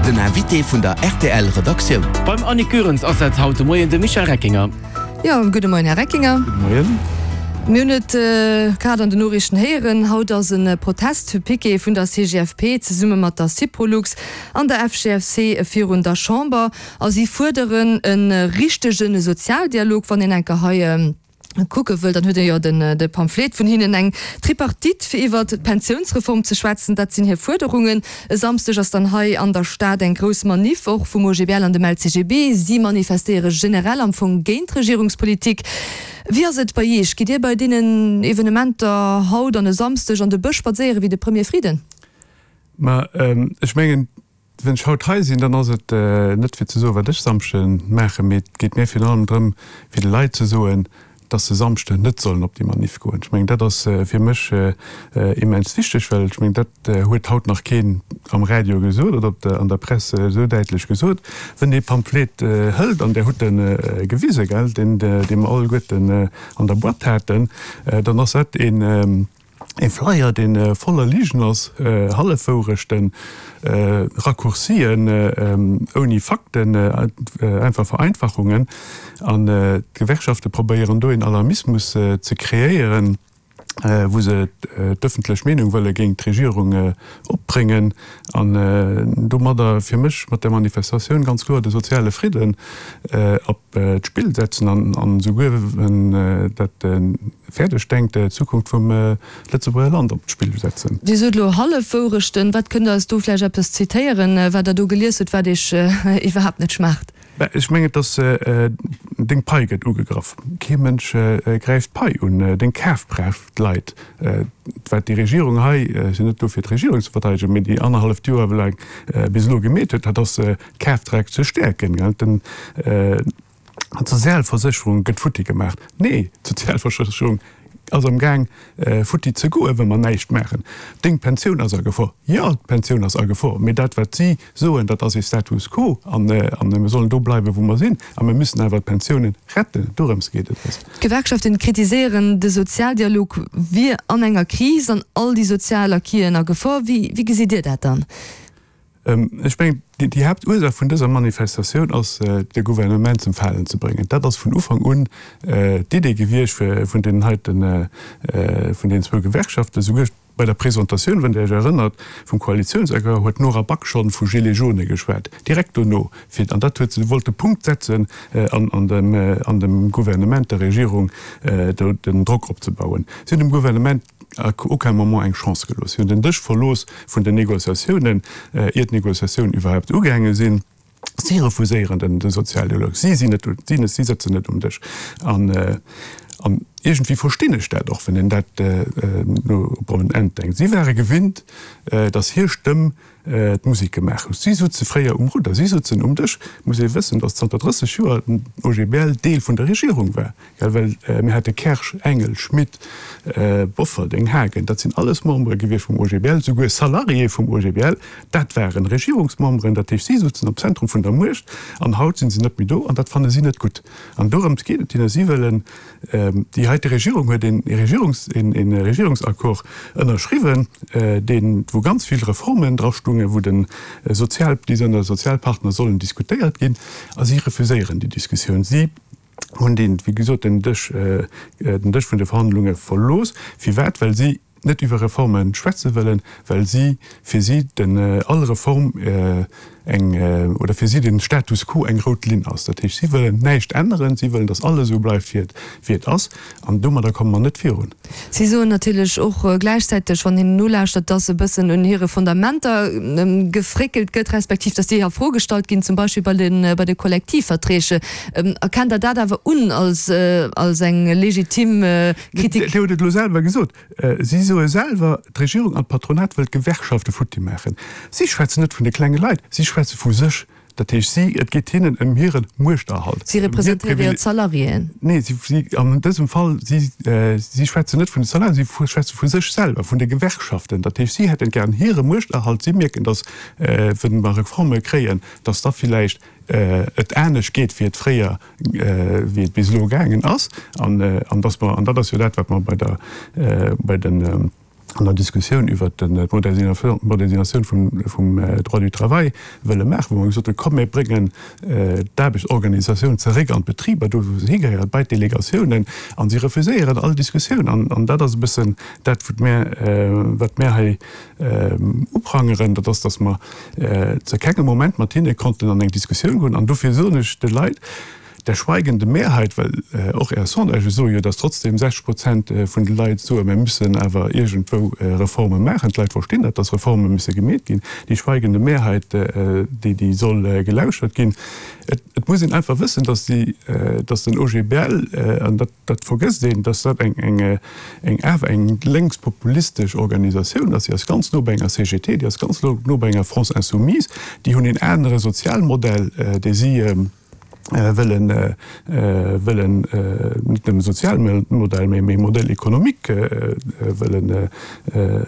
Den Invité vun der rtl Redaktioun. Beim Annick Goerens ass dat haut de Moien de Michel Reckinger. Jo, gudde Moien, Här Reckinger. Gudde Moien. Mir hunn et grad an den Noriichten héieren, Haut ass e Protestpiquet vun der CGFP zesumme mat der Syprolux an der FGFC virun der Chamber a si fuerderen e richtege Sozialdialog. Wann een enker hei kucke wëll, dann huet ee jo de Pamphlet vun hinnen, eng Tripartite fir iwwert d'Pensiounsreform ze schwätzen, dat sinn hir Fuerderungen. E Samsdeg ass dann hei an der Stad eng grouss Maniff, och vum OGBL an dem LCGB. Si manifestéiere generell am Fong géint d'Regierungspolitik. Wéi ass et bei Iech? Gitt Dir bei deenen Evenementer haut an e Samsdeg an de Bësch spadséiere wéi de Premier Frieden? Ma ech mengen, Wann ech haut hei sinn, dann ass et net fir ze soen, wat ech Samschde maachen, mee et geet mir virun allem drëm, fir de Leit ze soen, dass se Samschden net sollen op déi Maniff goen. Ech mengen, dat ass fir mech immens wichteg, well ech mengen, dat huet haut nach keen am Radio gesot oder op der, an der Press esou däitlech gesot. Wenn ee Pamphlet hëlt, an Der hutt e gewise, gell, deen, dee mer alleguerten an der Boîte haten, dann ass dat een, E Flyer, dee voller Ligen ass, Hallefwourechten, Raccourcien ouni Fakten, einfach Vereinfachungen. An d'Gewerkschafte probéieren do een Alarmismus ze kreéieren, wou se d'ëffentlech Meenung wëlle géint d'Regierung opbréngen an domadder fir mech mat där Manifestatioun ganz kloer de soziale Fridden op d'Spill setzen an esouguer, wenn dat fäerdeg denkt, d'Zukunft vum Lëtzebuerger Land op d'Spill setzen. Dir sot elo Hallefwourechten. Wat kënnt Der eis do vläicht eppes zitéieren, wat Der do gelies hutt, wat Iech iwwerhaapt net schmaacht? Mä ech mengen, et ass, deng Pai gëtt ugegraff. Kee Mënsch gräift d'Pai un, deng Kafkraaft leit. Wat déi Regierung hei, ech sinn net do fir d'Regierung ze verteidegen, mee déi annerhalleft Joer laang bis elo gemeet huet, dat ass d'Kafkraaft ze stäerken. D'Sozialversécherung gëtt futti gemaach. Nee, d'Sozialversécherung ass am Gaang futti ze goen, wa mer näischt maachen. Deng Pensioun ass a Gefor. Jo, d'Pensioun ass a Gefor, mee dat wat si soen, dat ass ee Status quo an mir sollen do bleiwen, wou mer sinn a mir müssen awer d'Pensiounen retten. Dorëms geet et eis. D'Gewerkschaften kritiséieren, de Sozialdialog wier an enger Kris an all déi sozial Acquisen a Gefor. Wéi gesitt Dir dat dann? Ech mengen, déi Haaptursaach vun dëser Manifestatioun ass, de Gouvernement zum Falen ze bréngen. Dat ass vun Ufank un d'Idee gewiescht vun deenen heiten, vun deenen zwou Gewerkschaften. Souguer bei der Presentatioun, wann Der Iech erënnert, vum Koalitiounsaccord huet d'Nora Back schonn vu Gilets jaunes geschwat, direkt dono, fir, an dat huet se wollt de Punkt setzen an dem, an dem Gouvernement, der Regierung do den Drock opzebauen. Si hunn dem Gouvernement à aucun moment eng Chance gelooss. Si hunn den Dësch verlooss vun den Négociatiounen, ier d'Négociatiounen iwwerhaupt ugaange sinn. Si refuséieren den Sozialdialog. Si sinn net, si sëtzen net um Dësch. An, an iergendwéi verstinn ech dat och, wann een dat elo op en Enn denkt. Si ware gewinnt, datt hir Stëmm d'Musek gemaach hutt. Si sutze fréier um Rudder, si sutzen um Dësch. Et muss ee wëssen, datt zanter 30 Joer den OGBL Deel vun der Regierung war, gell, well mir hate Kersch, Engel, Schmit, Bofferding, Haagen, dat sinn alles Membere gewiescht vum OGBL, souguer Salariéë vum OGBL, dat waren Regierungsmemberen. Dat heescht, si sutzen am Zentrum vun der Muecht an haut si se net méi do an dat fanne si net gutt. An dorëms geet et hinne, si wëllen Déi heite Regierung huet een Regierungsaccord ënnerschriwwen, deen, wou ganz vill Reformen drastungen, wou de Sozial, déi ënner Sozialpartner sollen diskutéiert ginn, a si refuséieren déi Diskussioun. Si hunn deen, wéi gesot, den Dësch, den Dësch vun de Verhandlunge verlooss. Firwat? Well si net iwwer Reforme schwätze wëllen, well si, fir si den all Reform eng, oder fir si den Status quo eng rout Linn ass. Dat heescht, si wëllen näischt änneren, si wëllen, datt alles esou bleift wéi et, wéi et ass, an domadder komme mer net virun. Si soen natierlech och gläichzäiteg, wann een nolauschtert, datt e bëssen un hire Fondamenter gefréckelt gëtt, respektiv datt déi a Fro gestallt ginn, zum Beispill bei de, bei de Kollektivverträge. Erkennt Der dat awer un als, als eng legitim Kritik? Dir hutt et elo selwer gesot. Si soe selwer, d'Regierung an d'Patronat wëllt d'Gewerkschafte futti maachen. Si schwätzen net vun de klenge Leit, si schwätze vu sech. Dat heescht, si, et geet hinnen ëm hire Muechterhalt. Si representéiere jo d'Salariéen. Nee, si, si, an dësem Fall, si, si schwätzen net vun de Salariéen, si schwätze vu sech selwer, vun de Gewerkschaften. Dat heescht, si hätten gären hire Muechterhalt. Si mierken, datt, wa mer Reforme kréien, datt da villäicht et anescht geet, wéi et fréier, wéi et bis elo gaangen ass, an, an dass mer, an dat ass jo dat, wat mer bei der, bei den. An der Diskussioun iwwert d'Modernisatioun vum Droit du travail wëlle maachen, wou mer gesot hunn, komm mir bréngen d'Aarbechtsorganisatioun zeréck an d'Betriber, do wou se higehéieren, bei d'Delegatiounen, a si refuséieren all Diskussioun. An dat ass e bëssen dat, wat mir, wat mir hei uprangeren, dat ass, datt mer zu kengem Moment mat hinne konnten an eng Diskussioun goen. An dofir soen ech de Leit, Der schweigende Mehrheit, well och Är Sondagë soe jo, datt trotzdem 60 Prozent vun de Leit soen, mir müssen awer iergendwou Reforme maachen. D'Leit verstinn dat, datt Reforme müsse gemeet ginn. Déi schweigende Mehrheit, déi, déi soll gelauschert ginn. Et muss een einfach wëssen, datt déi, datt den OGBL, an dat, dat vergësst een, datt dat eng, eng, eng awer eng lénkspopulistesch Organisatioun ass. Déi ass ganz no bei enger CGT, déi ass ganz no bei enger France Insoumise. Déi hunn een anere Sozialmodell, dee si, wëllen, wëllen net nëmme Sozialmodell, mä mee Modèle économique wëllen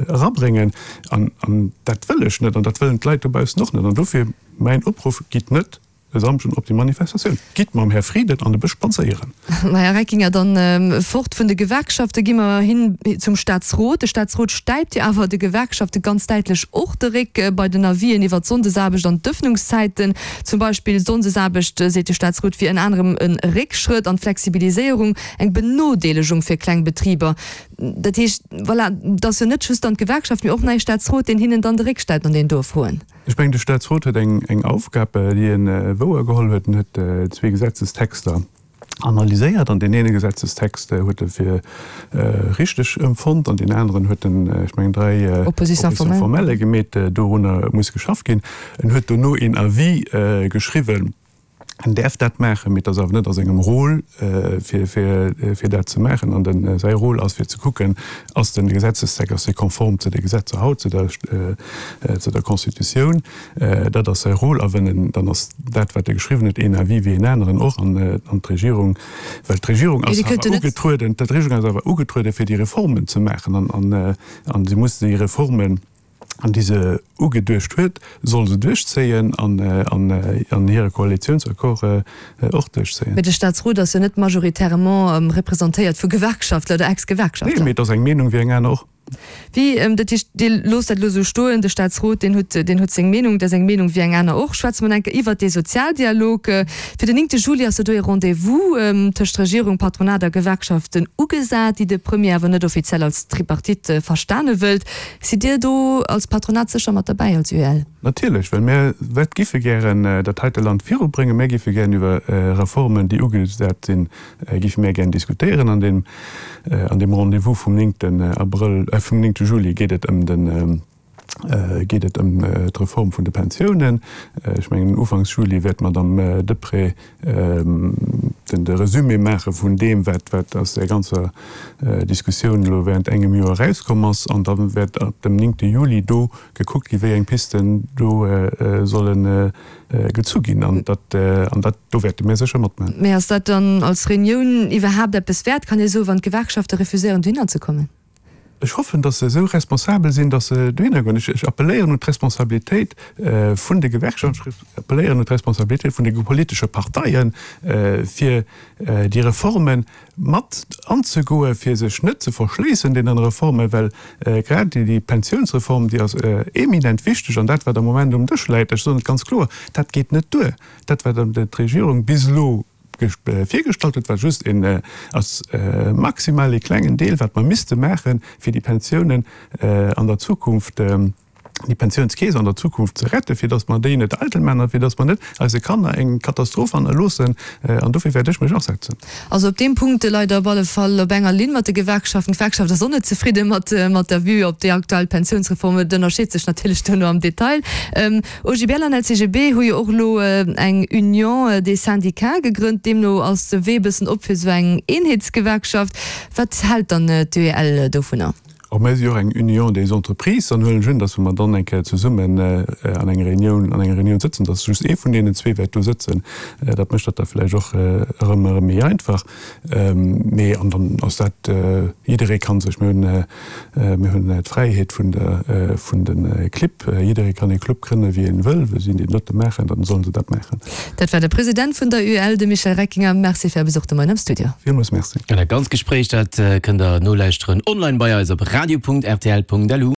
erabréngen. An, an dat wëll ech net an dat wëllen d'Leit dobaussen och net. An dofir mäin Opruff, Gitt net e Samschden op déi Manifestatioun, gitt mam Här Frieden an de Bësch spadséieren. Ma Här Reckinger, dann fort vun de Gewerkschafte gi mer hin zum Staatsrot. De Staatsrot stäipt jo awer de Gewerkschafte ganz däitlech och de Réck bei den Avisen iwwert d'Sonndesaarbecht an d'Ëffnungszäiten. Zum Beispill Sonndesaarbecht, seet de Staatsrot, wier ënner anerem e Réckschrëtt an d'Flexibiliséierung, eng Benodeelegung fir kleng Betriber. Dat heescht, voilà, et ass jo net just dann d'Gewerkschaft, mee och nach ee Staatsrot, deen hinnen dann de Réck stäipt an deenen doe Froen. Ech mengen, de Staatsrot huet eng Aufgab, déi e wouergeholl huet. En huet zwee Gesetzestexter analyséiert an deen eene Gesetzestext huet e fir richteg empfonnt an deen aneren huet en, ech mengen, dräi Oppositions formelles gemeet. Dorunner muss geschafft ginn. En huet dono een Avis geschriwwen. En däerf dat maachen, mee et ass awer net a sengem Rôle, fir dat ze maachen. An de säi Rôle ass fir ze kucken, ass de Gesetzestext, ass dee konform zu de Gesetzer haut, zu der, zu der Constitutioun. Dat ass säi Rôle. A wenn en, dann ass dat, wat e geschriwwen huet, een Avis wéi een aneren och. An d'Regierung, well d'Regierung ass awer ugetrueden, d'Regierung ass awer ugetrueden, fir déi Reformen ze maachen. An si muss déi Reformen, déi se ugeduecht huet, soll se duerchzéien an an hire Koalitiounsaccord och duerchzéien. Mee de Staatsrot ass jo net majoritairement representéiert vu Gewerkschaftler oder Ex-Gewerkschaftler. Nee, mee et ass eng Meenung wéi eng aner och. Wéi, dat heescht, Dir loosst dat elo esou stoen, de Staatsrot, deen huet, deen huet seng Meenung, dat ass eng Meenung wéi eng aner och. Schwätze mer nach eng Kéier iwwert dee Sozialdialog. Fir den 9 Juli ass jo do ee Rendez-vous tëscht Regierung, Patronat a Gewerkschaften ugesat, déi de Premier awer net offiziell als Tripartite verstane wëllt. Sidd Dir do als Patronat sécher mat derbäi, als UEL? Natierlech, well mir wat giffe gären dat heite Land virubréngen. Mir giffe gären iwwer Reformen, déi ugesat sinn, giffe mir gären diskutéieren. An deem, an deem Rendez-vous vum néngten Abrëll, vum néngte Juli geet et ëm den, geet et ëm d'Reform vun de Pensiounen. Ech mengen, ufanks Juli wäert d'Madame Deprez den de Resumé maache vun deem, wat wat aus där ganzer Diskussioun elo während engem Joer erauskomm ass. An da wäert ab dem néngte Juli do gekuckt ginn, wéi eng Pisten do solle gezu ginn. An dat, an dat, do wäerte mir sécher matmaachen. Mä ass dat dann als Reunioun iwwerhaapt eppes wäert, kann ee soen, wann d'Gewerkschafte refuséieren dohinner ze kommen? Ech hoffen, datt se esou responsabel sinn, datt se dohinner goen. Ech appelléieren un d'Responsabilitéit vun de Gewerkschaften, ech appelléieren un d'Responsabilitéit vun de politesche Parteien, fir déi Reforme mat anzegoen, fir sech net ze verschléissen deenen Reformen, well grad déi Pensiounsreform, déi ass eminent wichteg. An dat, wat am Moment um Dësch läit, ech soen et ganz kloer, dat geet net duer. Dat, wat d'Regierung bis elo virgestallt huet, war just een, ass maximal ee klengen Deel, wat mer misste maachen, fir déi Pensiounen an der Zukunft, déi Pensiounskeess an der Zukunft ze retten, fir datt mer déi net eitel maachen a fir datt mer net eise Kanner eng Katastroph hannerloossen. An dofir wäert ech mech asetzen. Also op deem Punkt leit Der op alle Fall op enger Linn mat de Gewerkschaften. D'Gewerkschaft ass och net zefridde mat der Vue op déi aktuell Pensiounsreform. Et ënnerscheet sech natierlech duerno am Detail. OGBL an LCGB hu jo och elo eng Union des syndicats gegrënnt. Deemno ass de Wee e bëssen op fir esou eng Eenheetsgewerkschaft. Wat hält dann d'UEL dovunner? Och mir si jo och eng Union des entreprises. Dann huelen ech un, datt wa mer dann eng Kéier zesummen an enger Reunioun, an enger Reunioun sëtzen, datt just ee vun deenen zwee wäert do sëtzen. Dat mécht dat da vläicht och erëm, erëm méi einfach. Mee an dann ass dat, jidderee ka sech, mir hunn, Mir hunn d'Fräiheet vun der, vun de Clibb. Jidderee kann ee Club grënne wéi en wëll. Wa si déi dote maachen, dann sollen se dat maachen. Dat war de President vun der UEL, de Michel Reckinger. Merci fir Är Besuch de Moien am Studio. Villmools Merci. An dat ganzt Gespréich, dat kënnt der nolauschteren online bei eis op radio. radio.rtl.lu.